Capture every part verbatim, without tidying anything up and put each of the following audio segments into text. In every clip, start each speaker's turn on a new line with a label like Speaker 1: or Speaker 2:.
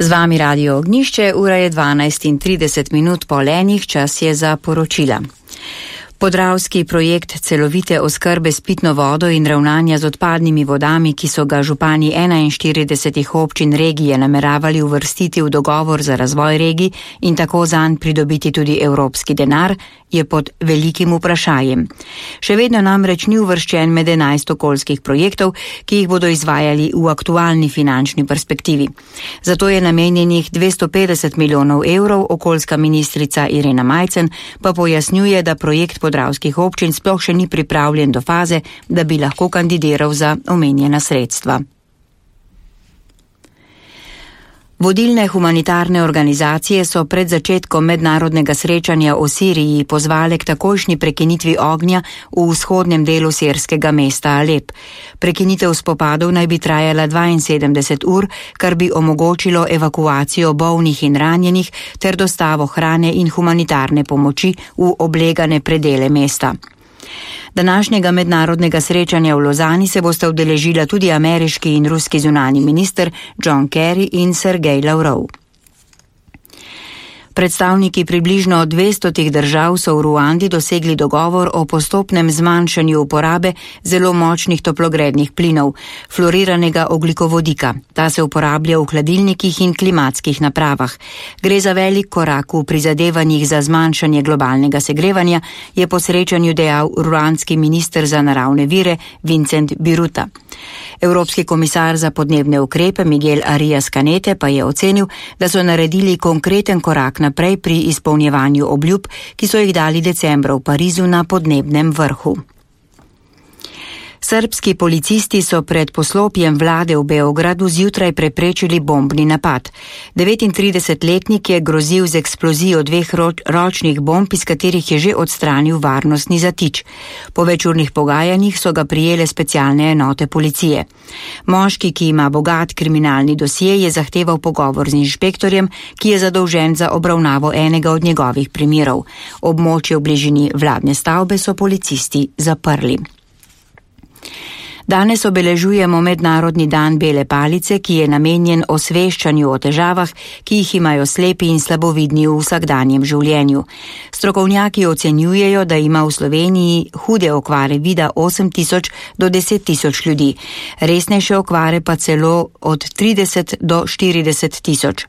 Speaker 1: Z vami Radio Ognjišče, ura je dvanajst in trideset minut po lenih, čas je za poročila. Podravski projekt celovite oskrbe s pitno vodo in ravnanja z odpadnimi vodami, ki so ga župani enainštiridesetih občin regije nameravali uvrstiti v dogovor za razvoj regij in tako zanj pridobiti tudi evropski denar, je pod velikim vprašanjem. Še vedno namreč ni uvrščen med enajst okoljskih projektov, ki jih bodo izvajali v aktualni finančni perspektivi. Zato je namenjenih dvesto petdeset milijonov evrov, okoljska ministrica Irena Majcen pa pojasnjuje, da projekt podravskih občin sploh še ni pripravljen do faze, da bi lahko kandidiral za omenjena sredstva. Vodilne humanitarne organizacije so pred začetkom mednarodnega srečanja o Siriji pozvale k takojšnji prekinitvi ognja v vzhodnem delu sirskega mesta Alep. Prekinitev spopadov naj bi trajala dvainsedemdeset ur, kar bi omogočilo evakuacijo bolnih in ranjenih ter dostavo hrane in humanitarne pomoči v oblegane predele mesta. Današnjega mednarodnega srečanja v Lozani se bosta udeležila tudi ameriški in ruski zunanji minister John Kerry in Sergej Lavrov. Predstavniki približno dvestotih držav so v Ruandi dosegli dogovor o postopnem zmanjšanju uporabe zelo močnih toplogrednih plinov, fluoriranega ogljikovodika. Ta se uporablja v hladilnikih in klimatskih napravah. Gre za velik korak v prizadevanjih za zmanjšanje globalnega segrevanja, je po srečanju dejal ruandski minister za naravne vire Vincent Biruta. Evropski komisar za podnebne ukrepe Miguel Arias Canete pa je ocenil, da so naredili konkreten korak naprej pri izpolnjevanju obljub, ki so jih dali decembra v Parizu na podnebnem vrhu. Srbski policisti so pred poslopjem vlade v Beogradu zjutraj preprečili bombni napad. devetintridesetletnik je grozil z eksplozijo dveh ročnih bomb, iz katerih je že odstranil varnostni zatič. Po večurnih pogajanjih so ga prijele specialne enote policije. Moški, ki ima bogat kriminalni dosje, je zahteval pogovor z inšpektorjem, ki je zadolžen za obravnavo enega od njegovih primerov. Območje v bližini vladne stavbe so policisti zaprli. Danes obeležujemo Mednarodni dan bele palice, ki je namenjen osveščanju o težavah, ki jih imajo slepi in slabovidni v vsakdanjem življenju. Strokovnjaki ocenjujejo, da ima v Sloveniji hude okvare vida osem tisoč do deset tisoč ljudi, resnejše okvare pa celo od trideset do štirideset tisoč.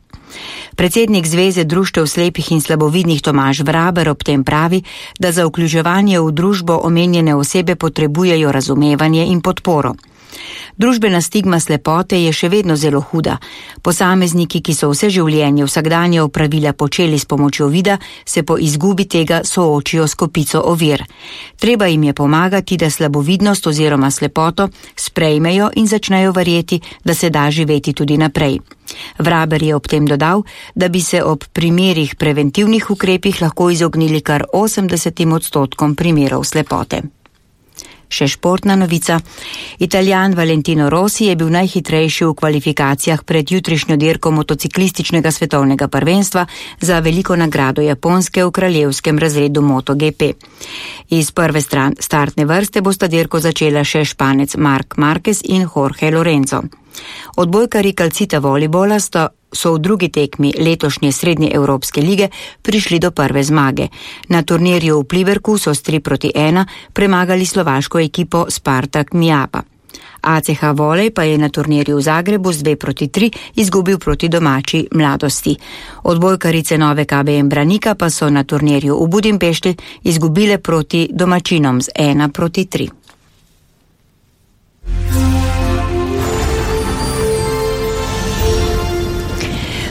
Speaker 1: Predsednik Zveze društev slepih in slabovidnih Tomaž Vraber ob tem pravi, da za vključevanje v družbo omenjene osebe potrebujejo razumevanje in podporo. Družbena stigma slepote je še vedno zelo huda. Posamezniki, ki so vse življenje vsakdanja opravila počeli s pomočjo vida, se po izgubi tega soočijo s kopico ovir. Treba jim je pomagati, da slabovidnost oziroma slepoto sprejmejo in začnejo verjeti, da se da živeti tudi naprej. Vraber je ob tem dodal, da bi se ob primerih preventivnih ukrepih lahko izognili kar osemdesetim odstotkom primerov slepote. Še športna novica. Italijan Valentino Rossi je bil najhitrejši v kvalifikacijah pred jutrišnjo dirko motociklističnega svetovnega prvenstva za veliko nagrado Japonske v kraljevskem razredu MotoGP. Iz prve stran startne vrste bosta dirko začela še Španec Marc Marquez in Jorge Lorenzo. Odbojkari Calcita Volibola sta so v drugi tekmi letošnje srednje Evropske lige prišli do prve zmage. Na turnirju v Pliberku so s tri proti ena premagali slovaško ekipo Spartak Mijapa. A C H Volej pa je na turnirju v Zagrebu z dve proti tri izgubil proti domači Mladosti. Odbojkarice Nove K B M Branika pa so na turnirju v Budimpešti izgubile proti domačinom z ena proti tri.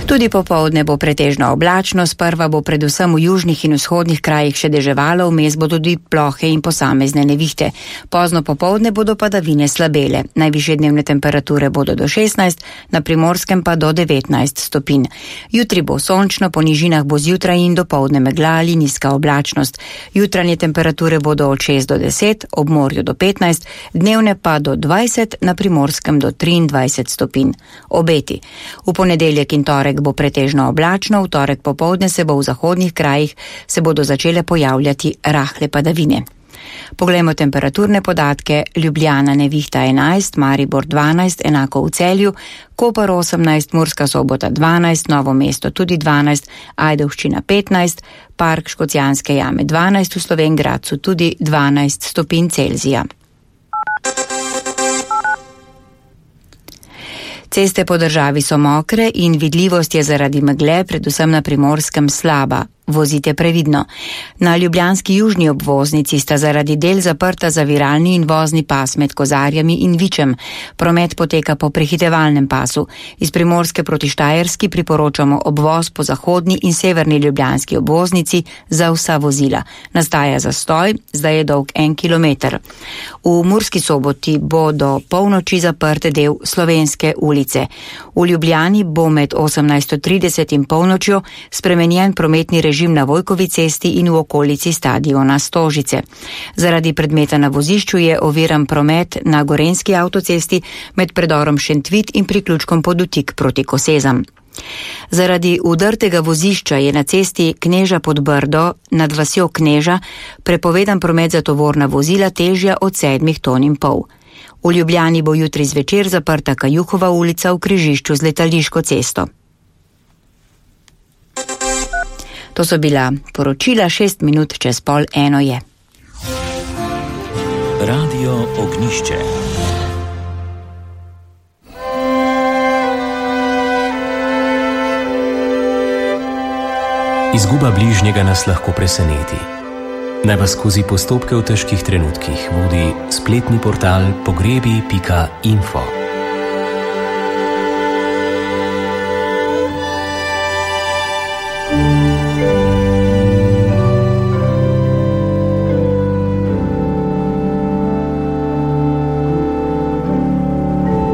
Speaker 1: Tudi popoldne bo pretežno oblačno, sprva bo predvsem v južnih in vzhodnih krajih še deževalo, vmes bodo tudi plohe in posamezne nevihte. Pozno popoldne bodo padavine slabele. Najvišje dnevne temperature bodo do šestnajst, na Primorskem pa do devetnajst stopinj. Jutri bo sončno, po nižinah bo zjutraj in dopoldne megla ali nizka oblačnost. Jutranje temperature bodo od šest do deset, ob morju do petnajst, dnevne pa do dvajset, na Primorskem do triindvajset stopinj. Obeti. V ponedeljek in torek bo pretežno oblačno, v torek popoldne se bo v zahodnih krajih se bodo začele pojavljati rahle padavine. Poglejmo temperaturne podatke. Ljubljana nevihta enajst, Maribor dvanajst, enako v Celju, Koper osemnajst, Murska Sobota dvanajst, Novo mesto tudi dvanajst, Ajdovščina petnajst, Park Škocjanske jame dvanajst, v Slovenj Gradcu tudi dvanajst stopinj Celzija. Ceste po državi so mokre in vidljivost je zaradi megle predvsem na Primorskem slaba. Vozite previdno. Na ljubljanski južni obvoznici sta zaradi del zaprta zaviralni in vozni pas med Kozarjami in Vičem. Promet poteka po prehitevalnem pasu. Iz Primorske proti Štajerski priporočamo obvoz po zahodni in severni ljubljanski obvoznici za vsa vozila. Nastaja zastoj, zdaj je dolg en kilometer. V Murski Soboti bo do polnoči zaprt del Slovenske ulice. V Ljubljani bo med osemnajsto trideset in polnočjo spremenjen prometni režim režim na Vojkovi cesti in v okolici stadiona Stožice. Zaradi predmeta na vozišču je oviran promet na Gorenjski avtocesti med predorom Šentvit in priključkom Podutik proti Kosezam. Zaradi udrtega vozišča je na cesti Kneža pod Brdo nad vasjo Kneža prepovedan promet za tovorna vozila težja od sedmih ton in pol. V Ljubljani bo jutri zvečer zaprta Kajuhova ulica v križišču z Letališko cesto. To so bila poročila, šest minut čez pol eno je.
Speaker 2: Radio Ognjišče. Izguba bližnjega nas lahko preseneti. Naj vas skozi postopke v težkih trenutkih vodi spletni portal pogrebi pika info.